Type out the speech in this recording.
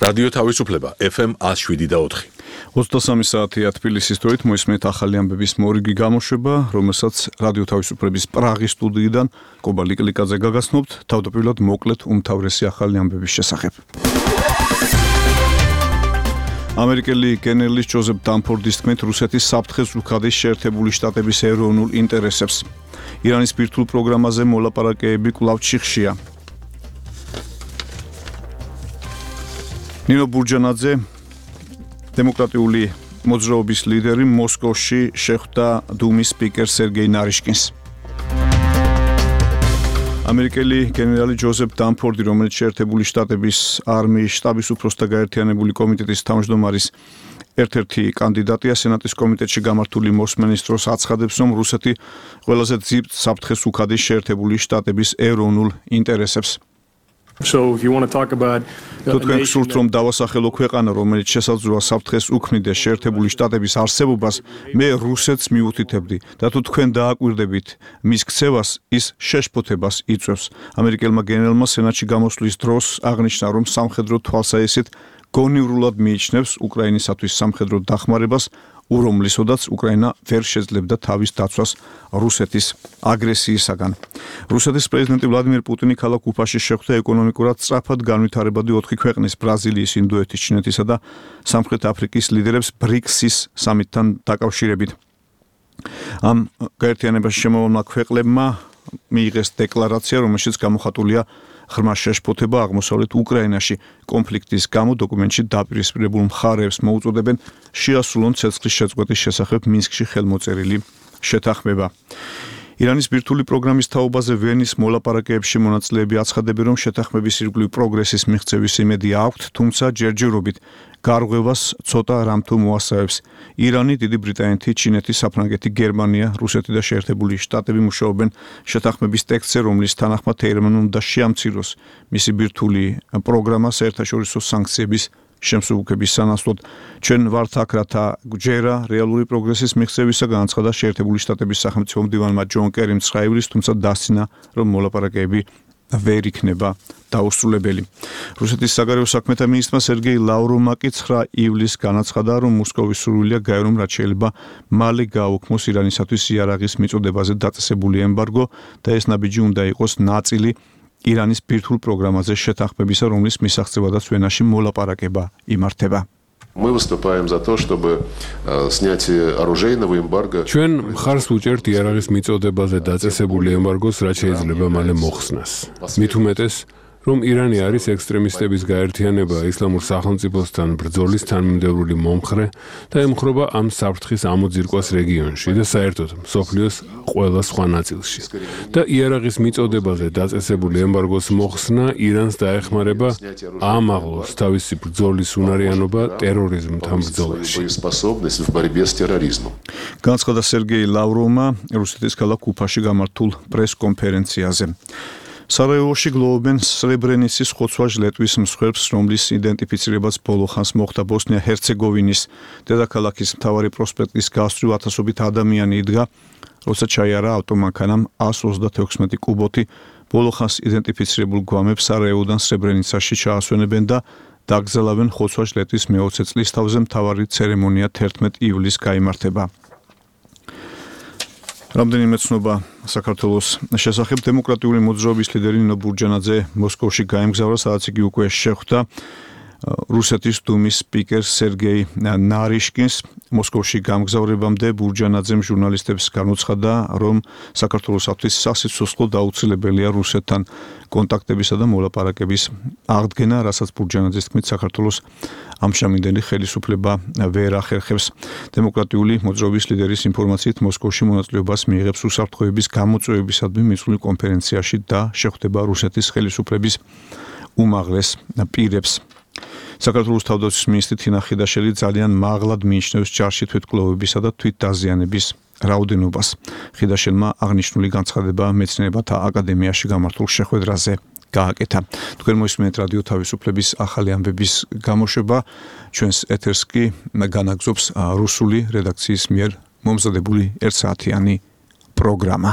რადიო თავისუფლება FM 107.4. 23 საათია თბილისის დროით მოისმენთ ახალი ამბების მორიგი გამოშვება, რომელსაც რადიო თავისუფლების პრაღის სტუდიიდან კობა ლიკლიკაძე გაგაცნობთ, თავდაპირველად მოკლედ უმთავრესი ახალი ამბების შესახებ. ამერიკელი გენერლის ჯოზეფ დამფორდის თქმით, რუსეთის საფრთხეს უხადის შეერთებული შტატების ეროვნულ ინტერესებს. ირანის ბირთვულ პროგრამაზე მოლაპარაკებები კვლავ ჩიხშია. ნინო ბურჯანაძე, დემოკრატიული მოძრაობის ლიდერი, მოსკოვში შეხვდა დუმის სპიკერ სერგეი ნარიშკინს. ამერიკელი გენერალი ჯოზეფ დამფორდი, რომელიც შეერთებული შტატების არმიის შტაბის უფროსთა გაერთიანებული კომიტეტის თავმჯდომარის ერთ-ერთი კანდიდატია, სენატის კომიტეტში გამართული მოსმენის დროს აცხადებს, რომ რუსეთი ყველაზე ძირთ საფრთხეს უხადის შეერთებული შტატების ეროვნულ ინტერესებს. So if you want to talk about თქვენ გსურთ, რომ დავასახელო ქვეყანა, რომელიც შესაძლოა საფრთხეს უქმნიდეს შეერთებული შტატების არსებობას, მე რუსეთს მიუთითებდი და თუ თქვენ დააკვირდებით მის ქცევას, ის შეშფოთებას იწვევს. ამერიკელმა გენერალმა სენატში გამოსვლის დროს აღნიშნა, რომ სამხედრო თვალსაჩინით გონივრულად მიიჩნევს უკრაინისათვის სამხედრო დახმარებას, რომლისოდაც უკრაინა ვერ შეძლებდა თავის დაცვას რუსეთის აგრესიისაგან. რუსეთის პრეზიდენტი ვლადიმირ პუტინი ქალაქ უფაში შეხვდა ეკონომიკურად სწრაფად განვითარებადი 4 ქვეყნის ბრაზილიის, ინდოეთის, ჩინეთისა და სამხრეთ აფრიკის ლიდერებს BRICS-ის სამიტთან დაკავშირებით. ამ გაერთიანებაში შემოვალმა ქვეყნებმა მიიღეს დეკლარაცია, რომელშიც გამოხატულია ღრმა შეშფოთება აღმოსავლეთ უკრაინაში. კონფლიქტის გამო დოკუმენტში დაპირისპირებულ მხარეებს მოუწოდებენ შეასრულონ ცეცხლის შეწყვეტის შესახებ მინსკში ხელმოწერილი შეთანხმება. ირანის ბირთვული პროგრამის თაობაზე ვენის მოლაპარაკებებში მონაწილეები აცხადებენ, რომ შეთანხმების ირგვლივ პროგრესის მიღწევის იმედი აქვთ, თუმცა ჯერჯერობით გარღვევას ცოტა რამ თუ მოასწავებს. ირანი, დიდი ბრიტანეთი, ჩინეთი, საფრანგეთი, გერმანია, რუსეთი და შეერთებული შტატები მუშაობენ შეთანხმების ტექსტზე, რომლის თანახმად თეირანმა უნდა შეამციროს მისი ბირთვული პროგრამა საერთაშორისო სანქციების შემსუბუქების სანაცვლოდ. ჩვენ ვართ აქ, რათა გვჯერა რეალური პროგრესის მიღწევისა, განაცხადა შეერთებული შტატების სახელმწიფო მდივანმა ჯონ კერიმ 9 ივლისს, თუმცა დასცინა, რომ მოლაპარაკებები ვერ იქნება დაუსრულებელი. რუსეთის საგარეო საქმეთა მინისტრმა სერგეი ლავროვმა კი 9 ივლისს განაცხადა, რომ მოსკოვის სურვილია გაეროს, რაც შეიძლება მალე გააუქმოს ირანისათვის იარაღის მიწოდებაზე დაწესებული ემბარგო და ეს ნაბიჯი უნდა იყოს ნაწილი ირანის ბირთვულ პროგრამაზე შეთანხმებისა, რომლის მისაღწევადაც ვენაში მოლაპარაკება იმართება. Мы выступаем за то, чтобы снятие оружейного эмбарго. ჩვენ მხარს უჭერთ იარაღის მიწოდებაზე დაწესებული ემბარგოს, რაც შეიძლება მალე მოხსნას. მით უმეტეს, რომ ირანი არის ექსტრემისტების გაერთიანება ისლამურ სახელმწიფოსთან ბრძოლის თანმიმდევრული მომხრე და ემხრობა ამ საფრთხის ამოძირკვას რეგიონში და საერთოდ მსოფლიოს ყველა სხვა ნაწილში. და იარაღის მიწოდებაზე დაწესებული ემბარგოს მოხსნა ირანს დაეხმარება ამაღლოს თავისი ბრძოლის უნარიანობა ტერორიზმთან ბრძოლაში. განაცხადა სერგეი ლავროვმა რუსეთის ქალაქ უფაში გამართულ პრეს-კონფერენციაზე. სარაევოში გლოვობენ სრებრენიცის ხოცვა-ჟლეტვის მსხვერპლს, რომლის იდენტიფიცირებაც ბოლო ხანს მოხდა ბოსნია-ჰერცეგოვინის დედაქალაქის მთავარი პროსპექტის გასწვრივ. ათასობით ადამიანი იდგა, როცა ჩაიარა ავტომანქანამ 136 კუბოთი. ბოლო ხანს იდენტიფიცირებულ გვამებს სარაევოდან სრებრენიცაში ჩაასვენებენ და დაგზელავენ ხოცვა-ჟლეტვის მე-20 წლის თავზე. მთავარი ცერემონია 11 ივლისს გაიმართება. რამდენიმე ცნობა საქართველოს შესახებ. დემოკრატიული მოძრაობის ლიდერი ნინო ბურჯანაძე მოსკოვში გაემგზავრა, სადაც იგი უკვე შეხვდა რუსეთის დუმის სპიკერ სერგეი ნარიშკინს. მოსკოვში გამგზავრებამდე ბურჯანაძემ ჟურნალისტებს განუცხადა, რომ საქართველოსთვის სასიცოცხლო დაუცილებელია რუსეთთან კონტაქტებისა და მოლაპარაკების აღდგენა, რასაც ბურჯანაძის თქმით საქართველოს ამჟამინდელი ხელისუფლება ვერ ახერხებს. დემოკრატიული მოძრაობის ლიდერის ინფორმაციით მოსკოვში მონაწილეობას მიიღებს უსაფრთხოების გამოწვევებისადმი მიწვეული კონფერენციაში და შეხვდება რუსეთის ხელისუფლების უმაღლეს პირებს. საქართველოს თავდაცვის მინისტრი თინა ხიდაშელი ძალიან მაღლად მიიჩნევს ჯარში თვითმკვლელობისა და თვითდაზიანების რაოდენობას. ხიდაშელმა აღნიშნული განცხადება მეცნიერებათა აკადემიაში გამართულ შეხვედრაზე გააკეთა. თქვენ მოისმენთ რადიო თავისუფლების ახალი ამბების გამოშვება. ჩვენს ეთერს კი განაგზობს რუსული რედაქციის მიერ მომზადებული 1 საათიანი პროგრამა.